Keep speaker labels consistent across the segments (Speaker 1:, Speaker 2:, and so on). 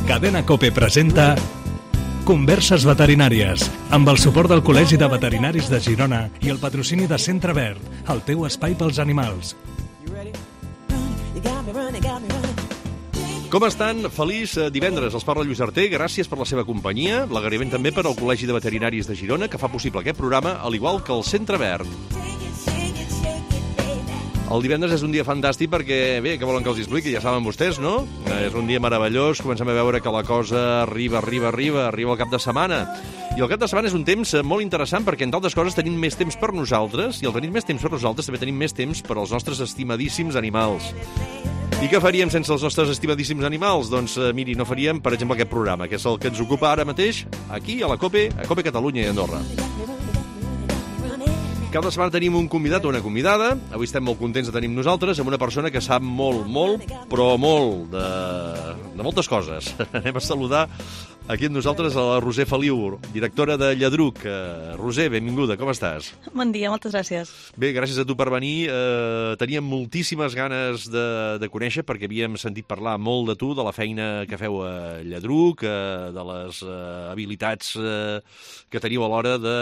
Speaker 1: Cadena COPE presenta Converses veterinàries, amb el suport del Col·legi de Veterinaris de Girona i el patrocini de Centre Verd, el teu espai pels animals.
Speaker 2: Com estan? Feliç divendres. Els parla Lluís Arter. Gràcies per la seva companyia. L'agraïment també per al Col·legi de Veterinaris de Girona, que fa possible aquest programa, al igual que el Centre Verd. El divendres és un dia fantàstic perquè, bé, què volen que els expliqui? Ja saben vostès, no? És un dia meravellós, comencem a veure que la cosa arriba el cap de setmana. I el cap de setmana és un temps molt interessant perquè, entre altres coses, tenim més temps per nosaltres, i al tenir més temps per nosaltres també tenim més temps per als nostres estimadíssims animals. I què faríem sense els nostres estimadíssims animals? Doncs, miri, no faríem, per exemple, aquest programa, que és el que ens ocupa ara mateix, aquí, a la COPE, a COPE Catalunya i Andorra. Cada setmana tenim un convidat o una convidada. Avui estem molt contents de tenir nosaltres amb una persona que sap molt, però molt de moltes coses. Anem a saludar aquí amb nosaltres a la Roser Feliu, directora de Lladruc. Roser, benvinguda, com estàs?
Speaker 3: Bon dia, moltes gràcies.
Speaker 2: Bé, gràcies a tu per venir. Teníem moltíssimes ganes de conèixer perquè havíem sentit parlar molt de tu, de la feina que feu a Lladruc, de les habilitats que teniu a l'hora de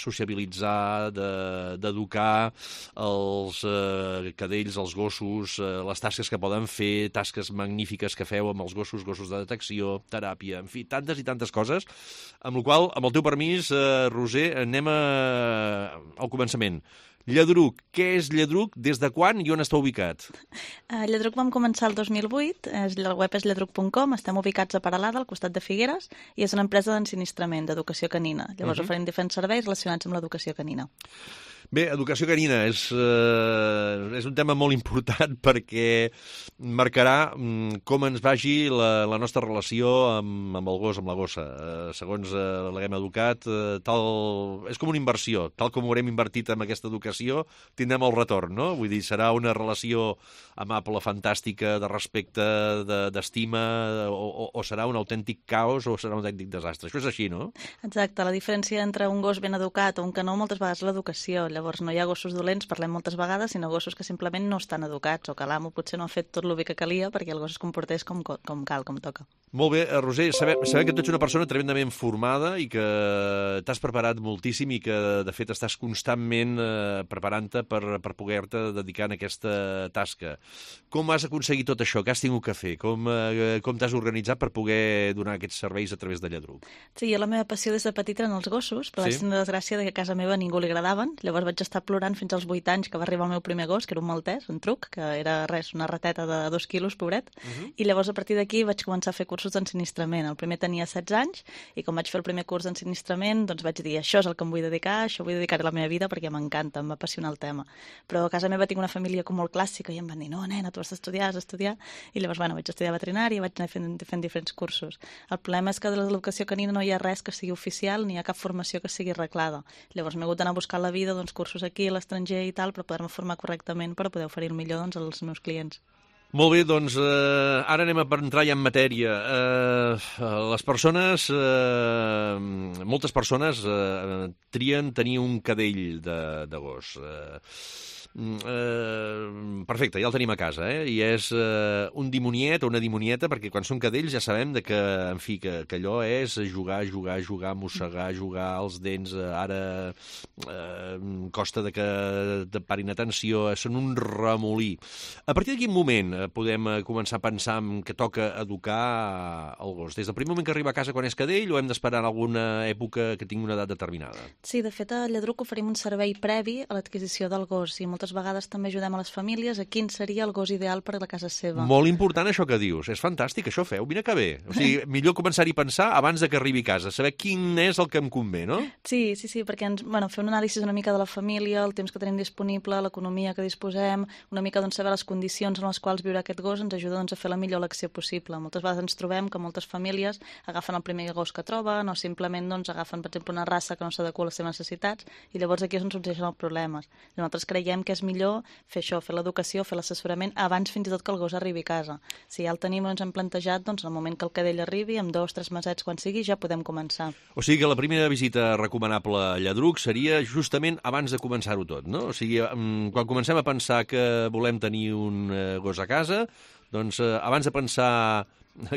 Speaker 2: sociabilitzar, d'educar els cadells, els gossos, les tasques que poden fer, tasques magnífiques que feu amb els gossos de detecció, teràpia, en fi, tantes i tantes coses, amb la qual, amb el teu permís, Roser, anem al començament. Lladruc, què és Lladruc, des de quan i on està ubicat?
Speaker 3: Lladruc vam començar el 2008, el web és lladruc.com, estem ubicats a Peralada, al costat de Figueres, i és una empresa d'ensinistrament, d'educació canina. Llavors oferim diferents serveis relacionats amb l'educació canina.
Speaker 2: Bé, educació canina és un tema molt important perquè marcarà com ens vagi la nostra relació amb el gos, amb la gossa. Segons l'haguem educat, és com una inversió. Tal com ho haurem invertit en aquesta educació, tindrem el retorn, no? Vull dir, serà una relació amable, fantàstica, de respecte, d'estima, o serà un autèntic caos o serà un autèntic desastre. Això és així, no?
Speaker 3: Exacte. La diferència entre un gos ben educat o un que no, moltes vegades és l'educació. Llavors no hi ha gossos dolents, parlem moltes vegades, sinó gossos que simplement no estan educats o que l'amo potser no ha fet tot el bé que calia perquè el gos es comportés com cal, com toca.
Speaker 2: Molt bé, Roser, sabem que tu ets una persona tremendament formada i que t'has preparat moltíssim i que, de fet, estàs constantment preparant-te per poder-te dedicar a aquesta tasca. Com has aconseguit tot això? Què has tingut que fer? Com t'has organitzat per poder donar aquests serveis a través de Lladruc?
Speaker 3: Sí, la meva passió des de petita eren els gossos, però vaig tenir la desgràcia que a casa meva a ningú li agradaven. Llavors vaig estar plorant fins als 8 anys que va arribar el meu primer gos, que era un maltès, un truc, que era una rateta de 2 quilos, pobret, i llavors a partir d'aquí vaig començar a fer cursos d'ensinistrament. El primer tenia 16 anys i quan vaig fer el primer curs d'ensinistrament doncs vaig dir, això és el que em vull dedicar, això vull dedicar a la meva vida perquè m'encanta, em va apassionar el tema. Però a casa meva tinc una família com molt clàssica i em van dir, no, nena, tu has d'estudiar, i llavors, vaig estudiar veterinària i vaig anar fent diferents cursos. El problema és que de l'educació canina no hi ha res que sigui oficial ni hi ha cap formació que sigui reglada. Llavors m'he hagut d'anar a buscar a la vida cursos aquí a l'estranger i tal per poder-me formar correctament per poder oferir el millor als meus clients.
Speaker 2: Molt bé, doncs ara anem a entrar ja en matèria. Les persones, moltes persones trien tenir un cadell de gos. Perfecte, ja el tenim a casa, i és un dimoniet o una dimonieta, perquè quan són cadells ja sabem que allò és jugar, mossegar, jugar els dents, ara costa que te parin atenció, són un remolí. A partir de quin moment podem començar a pensar que toca educar el gos? Des del primer moment que arriba a casa quan és cadell o hem d'esperar en alguna època que tingui una edat determinada?
Speaker 3: Sí, de fet a Lladruc oferim un servei previ a l'adquisició del gos i moltes vegades també ajudem a les famílies a quin seria el gos ideal per a la casa seva.
Speaker 2: Molt important això que dius, és fantàstic, això feu, mira que bé. O sigui, millor començar-hi a pensar abans de que arribi a casa, saber quin és el que em convé, no?
Speaker 3: Sí, perquè fer un anàlisi una mica de la família, el temps que tenim disponible, l'economia que disposem, una mica saber les condicions en les quals viurà aquest gos ens ajuda a fer la millor elecció possible. Moltes vegades ens trobem que moltes famílies agafen el primer gos que troben o simplement agafen, per exemple, una raça que no s'adequa a les seves necessitats i llavors aquí és on sorgeixen els problemes. Nosaltres creiem que que és millor fer això, fer l'educació, fer l'assessorament, abans fins i tot que el gos arribi a casa. Si ja el tenim, ens hem plantejat, doncs, en el moment que el cadell arribi, amb 2 o 3 mesets quan sigui, ja podem començar.
Speaker 2: O sigui que la primera visita recomanable a Lladruc seria justament abans de començar-ho tot, no? O sigui, quan comencem a pensar que volem tenir un gos a casa, doncs abans de pensar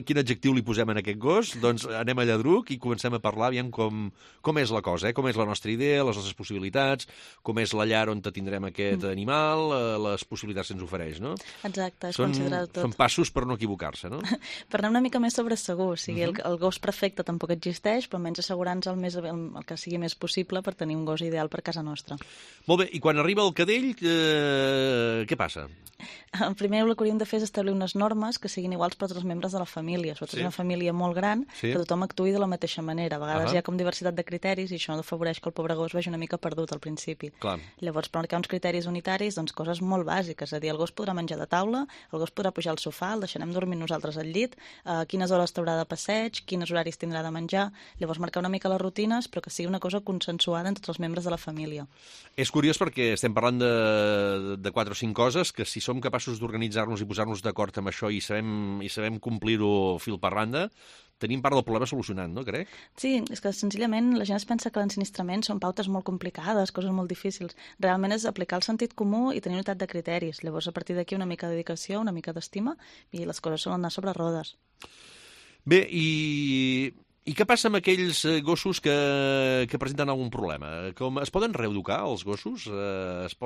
Speaker 2: quin adjectiu li posem en aquest gos, doncs anem a Lladruc i comencem a parlar aviam com és la cosa, com és la nostra idea, les nostres possibilitats, com és la llar on tindrem aquest animal, les possibilitats que ens ofereix, no?
Speaker 3: Exacte, és considerar tot.
Speaker 2: Són passos per no equivocar-se, no?
Speaker 3: Per anar una mica més sobre segur, o sigui, el gos perfecte tampoc existeix, però almenys assegurar-nos el que sigui més possible per tenir un gos ideal per casa nostra.
Speaker 2: Molt bé, i quan arriba el cadell, què passa?
Speaker 3: Primer el que hauríem de fer és establir unes normes que siguin iguals per tots els membres de la família. Sobretot és una família molt gran, que tothom actuï de la mateixa manera. A vegades hi ha com diversitat de criteris i això afavoreix que el pobre gos vagi una mica perdut al principi.
Speaker 2: Clar.
Speaker 3: Llavors, per marcar uns criteris unitaris, doncs coses molt bàsiques. És a dir, el gos podrà menjar de taula, el gos podrà pujar al sofà, el deixarem dormir nosaltres al llit, quines hores t'haurà de passeig, quins horaris tindrà de menjar. Llavors, marcar una mica les rutines, però que sigui una cosa consensuada entre tots els membres de la família.
Speaker 2: És curiós perquè estem parlant de 4 o 5 coses que si som capaços d'organitzar-nos i posar-nos d'acord amb això i sabem complir-ho fil per randa, tenim part del problema solucionat, no, crec?
Speaker 3: Sí, és que senzillament la gent es pensa que l'ensinistrament són pautes molt complicades, coses molt difícils. Realment és aplicar el sentit comú i tenir unitat de criteris. Llavors, a partir d'aquí, una mica de dedicació, una mica d'estima, i les coses solen anar sobre rodes.
Speaker 2: Bé, i què passa amb aquells gossos que presenten algun problema? Es poden reeducar, els gossos? Se'ls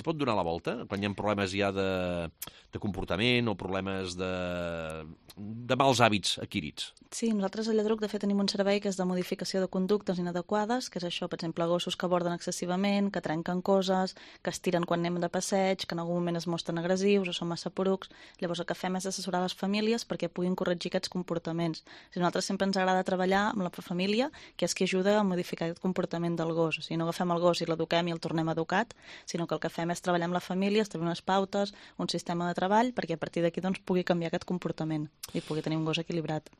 Speaker 2: pot donar la volta quan hi ha problemes ja de comportament o problemes de mals hàbits adquirits?
Speaker 3: Sí, nosaltres a Lladruc, de fet, tenim un servei que és de modificació de conductes inadequades, que és això, per exemple, gossos que aborden excessivament, que trenquen coses, que es tiren quan anem de passeig, que en algun moment es mostren agressius o són massa porucs. Llavors el que fem és assessorar les famílies perquè puguin corregir aquests comportaments. A nosaltres sempre ens agrada treballar amb la família, que és qui ajuda a modificar aquest comportament del gos. O sigui, no agafem el gos i l'eduquem i el tornem educat, sinó que el que fem és treballar amb la família, establir unes pautes, un sistema de treball, perquè a partir d'aquí doncs, pugui canviar aquest comportament i pugui tenir un gos equilibrat.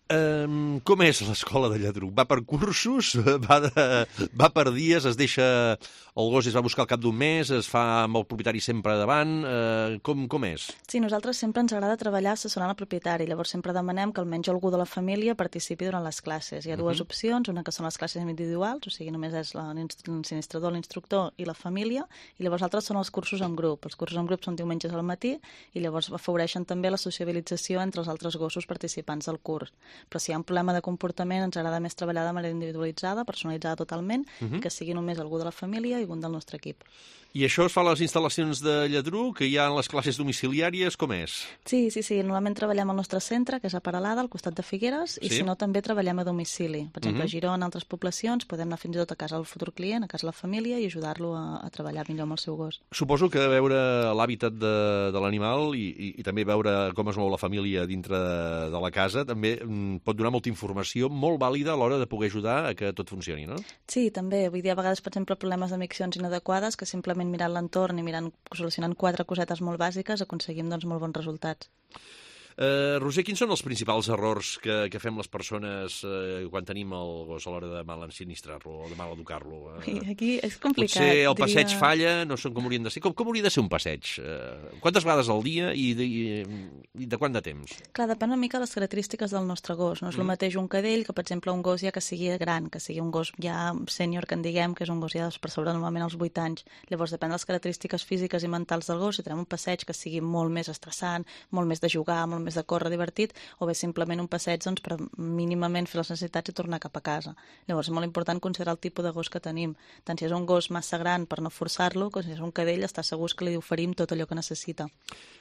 Speaker 2: Com és l'escola de Lladruc? Va per cursos? Va per dies? Es deixa el gos i es va buscar al cap d'un mes? Es fa amb el propietari sempre davant? Com és?
Speaker 3: Sí, nosaltres sempre ens agrada treballar assessorant el propietari. Llavors sempre demanem que almenys algú de la família participi durant les classes. Hi ha dues opcions, una que són les classes individuals, o sigui, només és l'ensinistrador, l'instructor i la família, i llavors altres són els cursos en grup. Els cursos en grup són diumenges al matí i llavors afavoreixen també la sociabilització entre els altres gossos participants del curs. Però si hi ha un problema de comportament, ens agrada més treballar de manera individualitzada, personalitzada totalment, que sigui només algú de la família i un del nostre equip.
Speaker 2: I això es fa a les instal·lacions de Lladruc, que hi ha les classes domiciliàries, com és?
Speaker 3: Sí. Normalment treballem al nostre centre, que és a Peralada, al costat de Figueres, i si no també treballem a domicili. Per exemple, a Girona, altres poblacions, podem anar fins i tot a casa del futur client, a casa de la família, i ajudar-lo a treballar millor amb el seu gos.
Speaker 2: Suposo que veure l'hàbitat de l'animal i també veure com es mou la família dintre de la casa també pot donar molta informació molt vàlida a l'hora de poder ajudar a que tot funcioni, no?
Speaker 3: Sí, també. Vull dir, a vegades, per exemple, problemes de miccions inadequades, que simplement mirant l'entorn i solucionant 4 cosetes molt bàsiques aconseguim doncs, molt bons resultats.
Speaker 2: Roser, quins són els principals errors que fem les persones quan tenim el gos a l'hora de mal ensinistrar-lo o de mal educar-lo?
Speaker 3: Aquí és complicat.
Speaker 2: Potser el passeig falla, no són com haurien de ser. Com hauria de ser un passeig? Quantes vegades al dia i de quant de temps?
Speaker 3: Clar, depèn una mica de les característiques del nostre gos. No és el mateix un cadell que, per exemple, un gos ja que sigui gran, que sigui un gos ja sènior, que en diguem, que és un gos ja per sobre normalment als 8 anys. Llavors, depèn de les característiques físiques i mentals del gos, si tenim un passeig que sigui molt més estressant, molt més de jugar, molt més de córrer divertit, o bé simplement un passeig doncs, per mínimament fer les necessitats i tornar cap a casa. Llavors és molt important considerar el tipus de gos que tenim. Tant si és un gos massa gran per no forçar-lo, com si és un cadell, està segur que li oferim tot allò que necessita.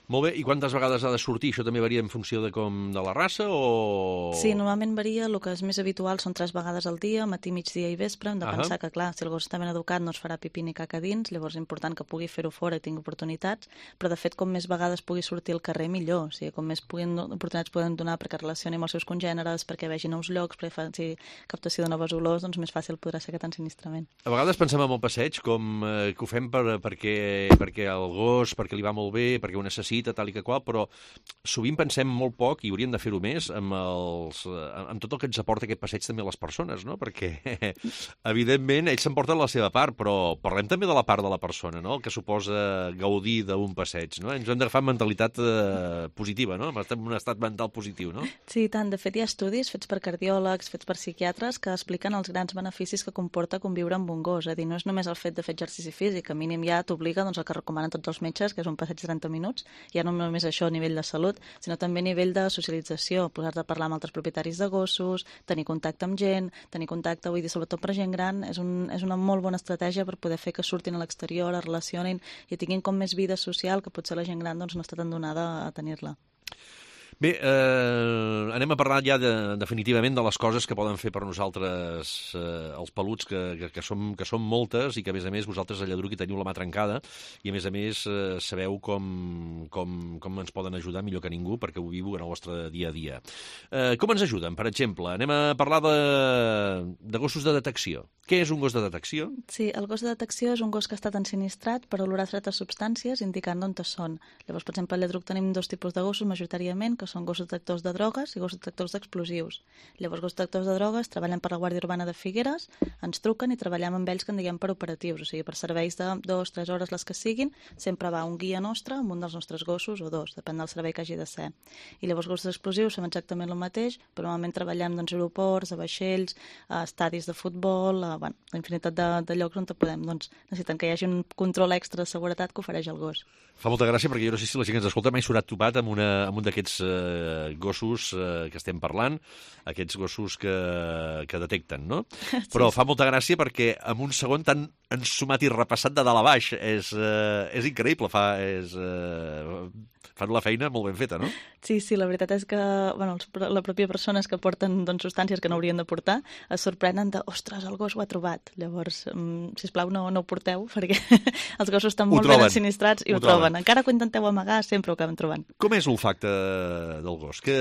Speaker 2: Molt bé, i quantes vegades ha de sortir? Això també varia en funció de la raça o...?
Speaker 3: Sí, normalment varia, el que és més habitual són 3 vegades al dia, matí, migdia i vespre. Hem de pensar que, clar, si el gos està ben educat no es farà pipí ni caca dins, llavors és important que pugui fer-ho fora i tingui oportunitats, però de fet com més vegades pugui sortir al carrer millor, o sigui, com més oportunitats poden donar perquè relacioni amb els seus congèneres, perquè vegi nous llocs, perquè faci captació de noves olors, doncs més fàcil podrà ser aquest ensinistrament.
Speaker 2: A vegades pensem en el passeig com que ho fem perquè el gos, perquè li va molt bé, perquè ho necessita, tal i que qual, però sovint pensem molt poc, i hauríem de fer-ho més, amb tot el que ens aporta aquest passeig també a les persones, no? Perquè, evidentment, ells s'emporten la seva part, però parlem també de la part de la persona, no? El que suposa gaudir d'un passeig, no? Ens hem d'agafar amb mentalitat positiva, no? Estem en un estat mental positiu, no?
Speaker 3: Sí, tant. De fet, hi ha estudis fets per cardiòlegs, fets per psiquiatres, que expliquen els grans beneficis que comporta conviure amb un gos. És a dir, no és només el fet de fer exercici físic, a mínim ja t'obliga doncs, el que recomanen tots els metges, que és un passeig de 30 minuts, ja no només això a nivell de salut, sinó també a nivell de socialització, posar-te a parlar amb altres propietaris de gossos, tenir contacte amb gent, tenir contacte, vull dir, sobretot per gent gran, és una molt bona estratègia per poder fer que surtin a l'exterior, es relacionin i tinguin com més vida social, que potser la gent gran doncs, no està tan donada a tenir-la.
Speaker 2: Bé, anem a parlar ja definitivament de les coses que poden fer per nosaltres els peluts, que són moltes i que, a més, vosaltres a Lladruc hi teniu la mà trencada i, a més, sabeu com ens poden ajudar millor que ningú perquè ho viu en el vostre dia a dia. Com ens ajuden? Per exemple, anem a parlar de gossos de detecció. Què és un gos de detecció?
Speaker 3: Sí, el gos de detecció és un gos que ha estat ensinistrat per olorar certes substàncies indicant d'on són. Llavors, per exemple, a Lladruc tenim dos tipus de gossos majoritàriament, que són gossos detectors de drogues i gossos detectors d'explosius. Llavors, gossos detectors de drogues treballen per la Guàrdia Urbana de Figueres, ens truquen i treballem amb ells que en diguem per operatius, o sigui, per serveis de 2-3 hores les que siguin, sempre va un guia nostre amb un dels nostres gossos o dos, depèn del servei que hagi de ser. I llavors, gossos explosius fem exactament el mateix, però normalment treballem doncs, a aeroports, a vaixells, a estadis de futbol, la infinitat de llocs on podem. Doncs necessiten que hi hagi un control extra de seguretat que ofereix el gos.
Speaker 2: Fa molta gràcia perquè jo no sé si la gent que ens escolta mai s'haurà topat amb un d'aquests gossos que estem parlant, aquests gossos que detecten, no? Sí. Però fa molta gràcia perquè en un segon tan ensumat i repassat de dalt a baix. És increïble, fan la feina molt ben feta, no?
Speaker 3: Sí, la veritat és que la pròpia persones que porten substàncies que no haurien de portar es sorprenen de, ostres, el gos ho ha trobat. Llavors, sisplau, no ho porteu, perquè els gossos estan molt ben ensinistrats i ho troben. Encara que ho intenteu amagar, sempre ho acaben trobant.
Speaker 2: Com és l'olfacte del gos? Que,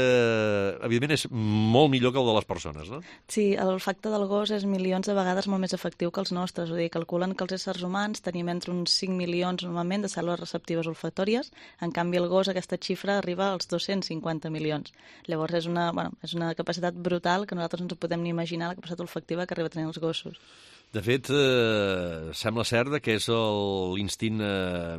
Speaker 2: evidentment, és molt millor que el de les persones, no?
Speaker 3: Sí, l'olfacte del gos és milions de vegades molt més efectiu que els nostres. O sigui, calculen que els éssers humans tenim entre uns 5 milions, normalment, de cèl·lules receptives olfatòries. En canvi, el gos, aquesta xifra arriba als 250 milions. Llavors, és una capacitat brutal que nosaltres no ens podem ni imaginar la capacitat olfactiva que arriba a tenir els gossos.
Speaker 2: De fet, sembla cert que és l'instint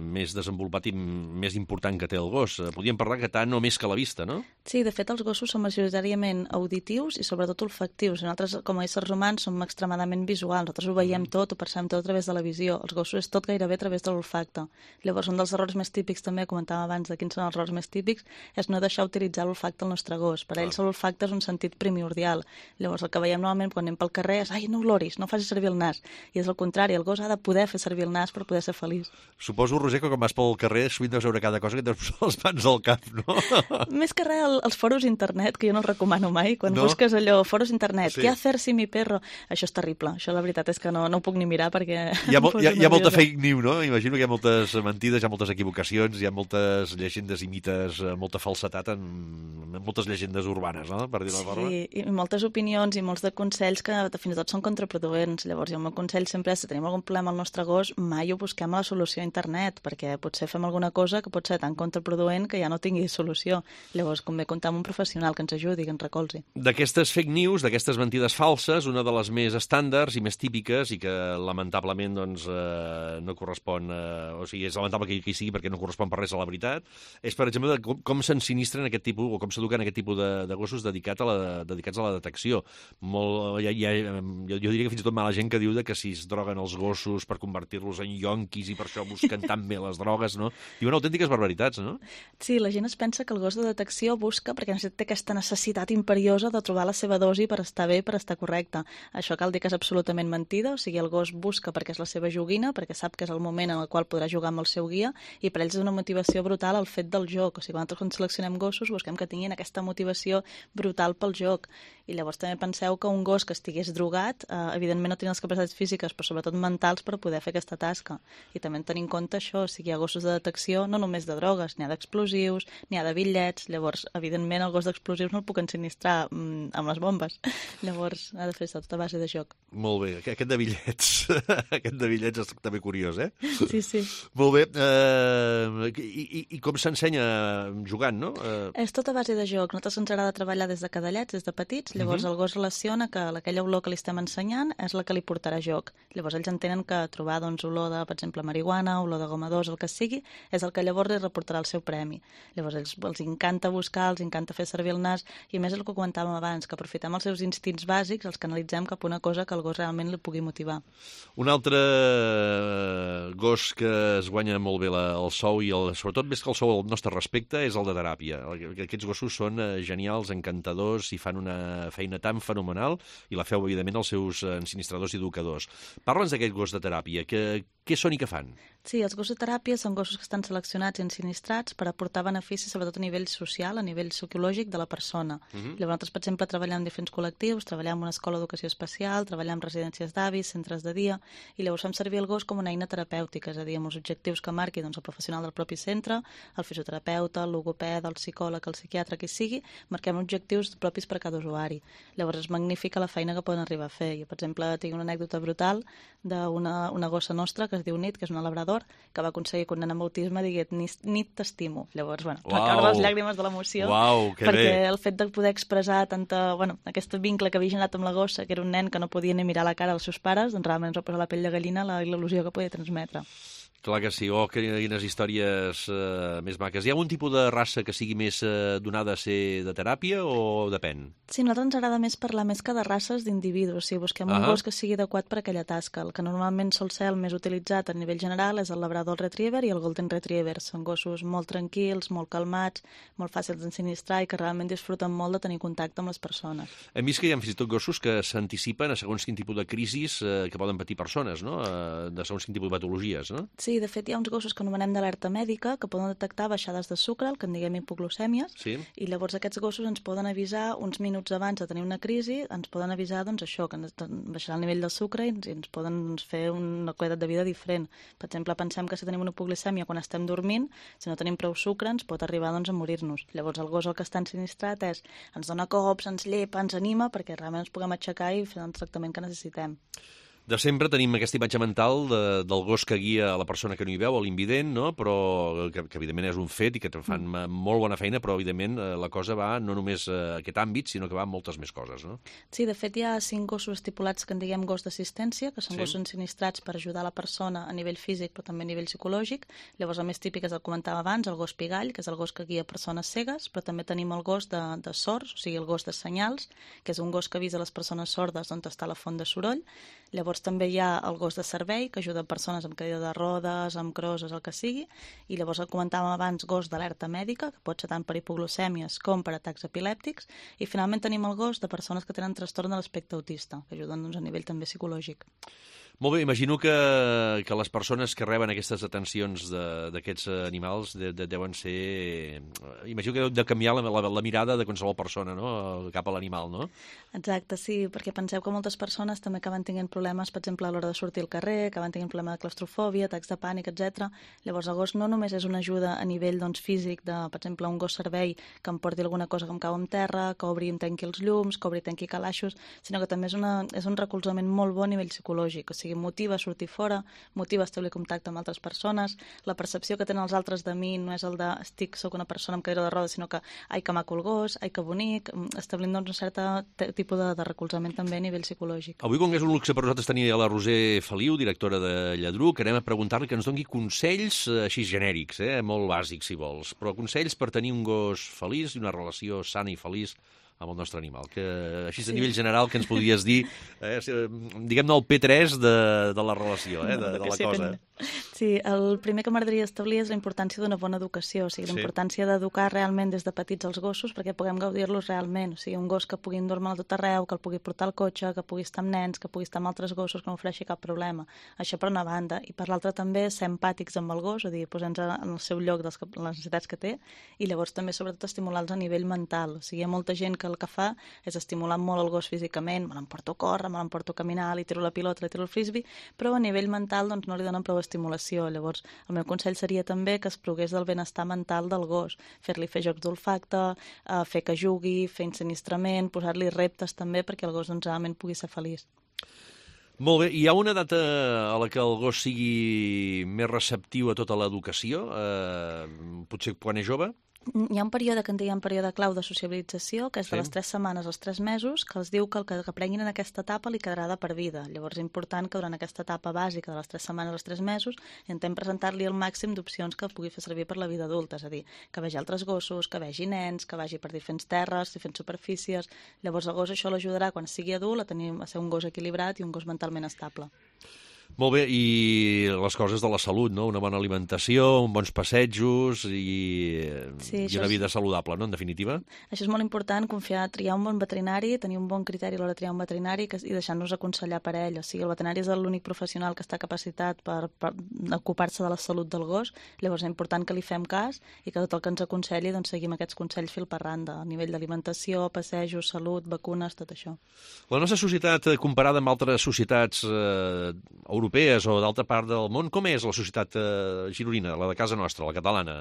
Speaker 2: més desenvolupat i més important que té el gos. Podríem parlar que tant o més que la vista, no?
Speaker 3: Sí, de fet, els gossos són majoritàriament auditius i sobretot olfactius. Nosaltres, com a éssers humans, som extremadament visuals. Nosaltres ho veiem tot, ho percebem tot a través de la visió. Els gossos és tot gairebé a través de l'olfacte. Llavors, un dels errors més típics, també, comentàvem abans de quins són els errors més típics, és no deixar utilitzar l'olfacte al nostre gos. Per ells l'olfacte és un sentit primordial. Llavors, el que veiem normalment quan anem pel carrer és no oloris, no facis servir el nas. I és el contrari, el gos ha de poder fer servir el nas per poder ser feliç.
Speaker 2: Suposo, Roser, que quan vas pel carrer sovint deus veure cada cosa que et deus posar les mans al cap, no?
Speaker 3: Més que res, els foros internet, que jo no els recomano mai. Quan busques allò, foros internet, què hacer si mi perro? Això és terrible. Això la veritat és que no ho puc ni mirar perquè...
Speaker 2: Hi ha molta fake news, no? Imagino que hi ha moltes mentides, hi ha moltes equivocacions, hi ha moltes llegendes i mites, molta falsetat en moltes llegendes urbanes, no? Per dir-ho forma.
Speaker 3: Sí, i moltes opinions i molts de consells que fins i tot són contraproduents. Llavors, jo el meu consell sempre és, si tenim algun problema al nostre gos, mai ho busquem a la solució a internet, perquè potser fem alguna cosa que pot ser tan contraproduent que ja no tingui solució. Llavors, convé comptar amb un professional que ens ajudi, que ens recolzi.
Speaker 2: D'aquestes fake news, d'aquestes mentides falses, una de les més estàndards i més típiques i que lamentablement no correspon, o sigui, és lamentable que hi sigui perquè no correspon per res a la veritat, és, per exemple, com s'ensinistren aquest tipus, o com s'eduquen aquest tipus de gossos dedicats a la detecció. Jo diria que fins i tot mala gent que diu que si es droguen els gossos per convertir-los en yonquis i per això busquen tan bé les drogues, no? Diuen autèntiques barbaritats, no?
Speaker 3: Sí, la gent es pensa que el gos de detecció busca perquè té aquesta necessitat imperiosa de trobar la seva dosi per estar bé, per estar correcte. Això cal dir que és absolutament mentida, o sigui, el gos busca perquè és la seva joguina, perquè sap que és el moment en el qual podrà jugar amb el seu guia, i per ells és una motivació brutal el fet del joc. O sigui, quan seleccionem gossos busquem que tinguin aquesta motivació brutal pel joc. I llavors també penseu que un gos que estigués drogat, evidentment no tenia les capacitats físiques, però sobretot mentals per poder fer aquesta tasca. I també tenir en compte això, o sigui, hi ha gossos de detecció no només de drogues, n'hi ha d'explosius, n'hi ha de bitllets, llavors, evidentment, el gos d'explosius no el puc ensinistrar amb les bombes. Llavors, ha de fer tota base de joc.
Speaker 2: Molt bé, aquest de bitllets, aquest de bitllets és també curiós, eh?
Speaker 3: Sí.
Speaker 2: Molt bé, i com s'ensenya jugant, no?
Speaker 3: És tota base de joc. Nosaltres ens agrada treballar des de cadallets, des de petits, llavors el gos relaciona que aquella olor que li estem ensenyant és la que li portarà joc. Llavors ells entenen que trobar olor de, per exemple, marihuana, olor de goma d'os, el que sigui, és el que llavors li reportarà el seu premi. Llavors els encanta buscar, els encanta fer servir el nas, i a més és el que comentàvem abans, que aprofitem els seus instints bàsics, els canalitzem cap a una cosa que el gos realment li pugui motivar.
Speaker 2: Un altre gos que es guanya molt bé el sou, i sobretot més que el sou al nostre respecte, és el de teràpia. Aquests gossos són genials, encantadors, i fan una feina tan fenomenal, i la feu, evidentment, els seus ensinistradors i educadors. Parla'ns d'aquest gos de teràpia. Què són i què fan?
Speaker 3: Sí, els gossos de teràpia són gossos que estan seleccionats i ensinistrats per aportar beneficis, sobretot a nivell social, a nivell psicològic de la persona. Llavors, nosaltres, per exemple, treballem en diferents col·lectius, treballem en una escola d'educació especial, treballem en residències d'avis, centres de dia, i llavors fem servir el gos com una eina terapèutica, és a dir, amb els objectius que marqui el professional del propi centre, el fisioterapeuta, el logopeda, el psicòleg, el psiquiatre, qui sigui, marquem objectius propis per a cada usuari. Llavors és magnífica la feina que poden arribar a fer. Jo, per exemple, tinc una anècdota brutal d'una gossa nostra que es diu Nit, que és una labrador, que va aconseguir que un nen amb autisme digués Nit t'estimo. Llavors, recordo les llàgrimes de l'emoció, perquè el fet de poder expressar aquest vincle que havia generat amb la gossa, que era un nen que no podia ni mirar la cara als seus pares, doncs realment ens va posar la pell de gallina la il·lusió que podia transmetre.
Speaker 2: Clar que sí, quines històries més maques. Hi ha un tipus de raça que sigui més donada a ser de teràpia o depèn?
Speaker 3: Sí, a nosaltres ens agrada més parlar més que de races d'individus. O sigui, busquem un gos que sigui adequat per a aquella tasca. El que normalment sol ser el més utilitzat a nivell general és el Labrador Retriever i el Golden Retriever. Són gossos molt tranquils, molt calmats, molt fàcils d'ensinistrar i que realment disfruten molt de tenir contacte amb les persones.
Speaker 2: Hem vist que hi ha fins i tot gossos que s'anticipen a segons quin tipus de crisis que poden patir persones, no? De segons quin tipus de patologies, no?
Speaker 3: Sí, de fet hi ha uns gossos que anomenem d'alerta mèdica que poden detectar baixades de sucre, el que en diguem hipoglucèmies, i llavors aquests gossos ens poden avisar uns minuts abans de tenir una crisi, ens poden avisar això, que baixarà el nivell del sucre i ens poden fer una qualitat de vida diferent. Per exemple, pensem que si tenim una hipoglucèmia quan estem dormint, si no tenim prou sucre ens pot arribar a morir-nos. Llavors el gos el que està ensinistrat ens dona cops, ens llepa, ens anima perquè realment ens puguem aixecar i fer el tractament que necessitem.
Speaker 2: De sempre tenim aquesta imatge mental del gos que guia a la persona que no hi veu, a l'invident, no? Però que evidentment és un fet i que fan molt bona feina, però evidentment la cosa va no només a aquest àmbit, sinó que va a moltes més coses, no?
Speaker 3: Sí, de fet hi ha 5 gossos estipulats que en diguem gos d'assistència, que són gossos ensinistrats per ajudar la persona a nivell físic però també a nivell psicològic. Llavors el més típic és el que comentava abans, el gos pigall, que és el gos que guia persones cegues, però també tenim el gos de sords, o sigui el gos de senyals, que és un gos que avisa les persones sordes on està la font de soroll. Llavors també hi ha el gos de servei, que ajuda persones amb cadira de rodes, amb crosses, el que sigui, i llavors el comentàvem abans, gos d'alerta mèdica, que pot ser tant per hipoglucèmies com per atacs epilèptics, i finalment tenim el gos de persones que tenen trastorn de l'espectre autista, que ajuden a nivell també psicològic.
Speaker 2: Molt bé, imagino que les persones que reben aquestes atencions d'aquests animals deuen ser... Imagino que deu de canviar la mirada de qualsevol persona, no?, cap a l'animal, no?
Speaker 3: Exacte, sí, perquè penseu que moltes persones també acaben tenint problemes, per exemple, a l'hora de sortir al carrer, acaben tenint problemes de claustrofòbia, atacs de pànic, etc. Llavors el gos no només és una ajuda a nivell físic de, per exemple, un gos servei que em porti alguna cosa que em cau en terra, que obri i em tanqui els llums, que obri i tanqui calaixos, sinó que també és un recolzament molt bo a nivell psicològic, o sigui, motiva a sortir fora, motiva a establir contacte amb altres persones, la percepció que tenen els altres de mi no és el de soc una persona amb cadira de rodes, sinó que ai que maco el gos, ai que bonic, establint un cert tipus de recolzament també a nivell psicològic.
Speaker 2: Avui, com que és un luxe per nosaltres tenir la Roser Feliu, directora de Lladruc, anem a preguntar-li que ens doni consells així genèrics, molt bàsics si vols, però consells per tenir un gos feliç i una relació sana i feliç amb el nostre animal, que així a nivell general que ens podries dir, diguem-ne el P3 de la relació, de la cosa.
Speaker 3: Sí, el primer que m'agradaria establir és la importància d'una bona educació, o sigui, la importància d'educar realment des de petits els gossos perquè puguem gaudir-los realment, o sigui, un gos que pugui dur-me'l a tot arreu, que el pugui portar al cotxe, que pugui estar amb nens, que pugui estar amb altres gossos, que no ofereixi cap problema. Això per una banda, i per l'altra també ser empàtics amb el gos, és a dir, posar-nos en el seu lloc de les necessitats que té, i llavors també sobretot estimular-los a nivell mental, o sigui, hi ha molta gent que que el que fa és estimular molt el gos físicament, me l'emporto a córrer, me l'emporto a caminar, li tiro la pilota, li tiro el frisbee, però a nivell mental doncs, no li donen prou estimulació. Llavors, el meu consell seria també que es progués del benestar mental del gos, fer-li fer jocs d'olfacte, fer que jugui, fer ensinistrament, posar-li reptes també perquè el gos doncs, realment pugui ser feliç.
Speaker 2: Molt bé, hi ha una data a la que el gos sigui més receptiu a tota l'educació? Potser quan és jove?
Speaker 3: Hi ha un període que en diem període clau de sociabilització, que és de les 3 setmanes als 3 mesos, que els diu que el que aprenguin en aquesta etapa li quedarà de per vida. Llavors és important que durant aquesta etapa bàsica de les 3 setmanes als 3 mesos intentem presentar-li el màxim d'opcions que pugui fer servir per la vida adulta, és a dir, que vegi altres gossos, que vegi nens, que vagi per diferents terres, diferents superfícies. Llavors el gos això l'ajudarà quan sigui adult a ser un gos equilibrat i un gos mentalment estable.
Speaker 2: Molt bé, i les coses de la salut, no? Una bona alimentació, uns bons passejos i una vida saludable, no?, en definitiva.
Speaker 3: Això és molt important, triar un bon veterinari, tenir un bon criteri a l'hora de triar un veterinari i deixar-nos aconsellar per ell. O sigui, el veterinari és l'únic professional que està capacitat per ocupar-se de la salut del gos, llavors és important que li fem cas i que tot el que ens aconselli doncs, seguim aquests consells fil per randa, a nivell d'alimentació, passejos, salut, vacunes, tot això.
Speaker 2: La nostra societat, comparada amb altres societats europees o d'altra part del món, com és la societat gironina, la de casa nostra, la catalana?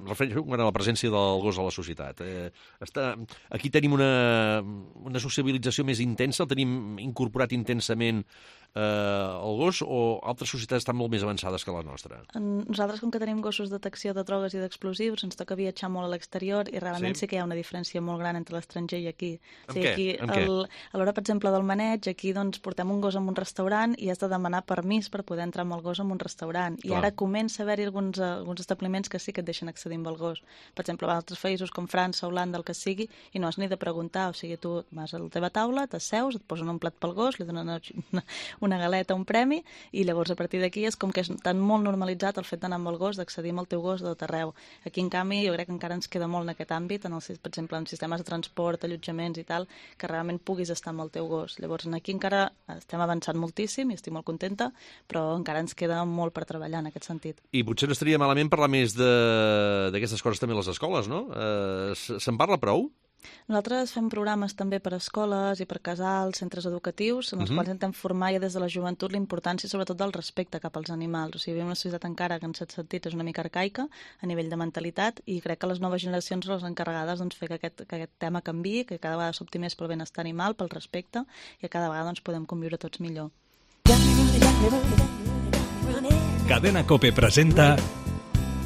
Speaker 2: Refereixo a la presència del gos a la societat. Aquí tenim una sociabilització més intensa, el tenim incorporat intensament el gos, o altres societats estan molt més avançades que la nostra?
Speaker 3: Nosaltres, com que tenim gossos de detecció de drogues i d'explosius, ens toca viatjar molt a l'exterior i realment sí que hi ha una diferència molt gran entre l'estranger i aquí.
Speaker 2: En què?
Speaker 3: A l'hora, per exemple, del maneig, aquí doncs, portem un gos en un restaurant i has de demanar permís per poder entrar amb el gos en un restaurant. I ara comença a haver-hi alguns establiments que sí que et deixen accedir amb el gos. Per exemple, a altres països com França, Holanda, el que sigui, i no has ni de preguntar. O sigui, tu vas a la teva taula, t'asseus, et posen un plat pel gos, li donen una galeta, un premi, i llavors a partir d'aquí és com que és tan molt normalitzat el fet d'anar amb el gos, d'accedir amb el teu gos de tot arreu. Aquí, en canvi, jo crec que encara ens queda molt en aquest àmbit, per exemple, en sistemes de transport, allotjaments i tal, que realment puguis estar amb el teu gos. Llavors, aquí encara estem avançant moltíssim i estic molt contenta, però encara ens queda molt per treballar en aquest sentit.
Speaker 2: I potser no estaria malament parlar més d'aquestes coses també a les escoles, no? Se'n parla prou?
Speaker 3: Nosaltres fem programes també per a escoles i per casals, centres educatius, en els quals intentem formar ja des de la joventut la importància sobretot del respecte cap als animals. O sigui, vivim una societat encara que en certs sentits és una mica arcaica a nivell de mentalitat i crec que les noves generacions són les encarregades doncs, fer que aquest tema canviï, que cada vegada s'opti més pel benestar animal, pel respecte i que cada vegada doncs, podem conviure tots millor.
Speaker 1: Cadena COPE presenta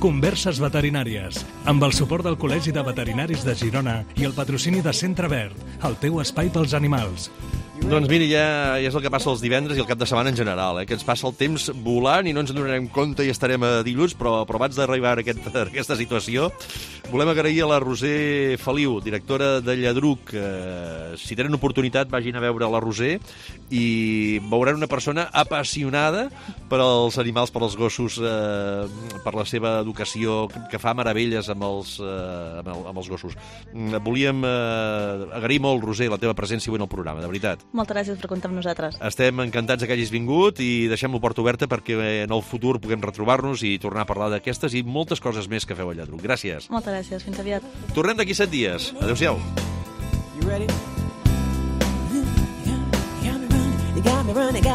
Speaker 1: Converses veterinàries, amb el suport del Col·legi de Veterinaris de Girona i el patrocini de Centre Verd, el teu espai pels animals.
Speaker 2: Doncs mira, ja és el que passa els divendres i el cap de setmana en general, que ens passa el temps volant i no ens en donarem compte i estarem a dilluns, però abans d'arribar a aquesta situació, volem agrair a la Roser Feliu, directora de Lladruc. Si tenen oportunitat, vagin a veure la Roser i veuran una persona apassionada per als animals, per als gossos, per la seva educació, que fa meravelles amb els gossos. Volíem agrair molt, Roser, la teva presència avui en el programa, de veritat.
Speaker 3: Moltes gràcies per comptar amb nosaltres.
Speaker 2: Estem encantats que hagis vingut i deixem la porta oberta perquè en el futur puguem retrobar-nos i tornar a parlar d'aquestes i moltes coses més que feu a Lladruc. Gràcies.
Speaker 3: Moltes gràcies. Fins aviat.
Speaker 2: Tornem d'aquí 7 dies. Adéu-siau. You ready? You got me running.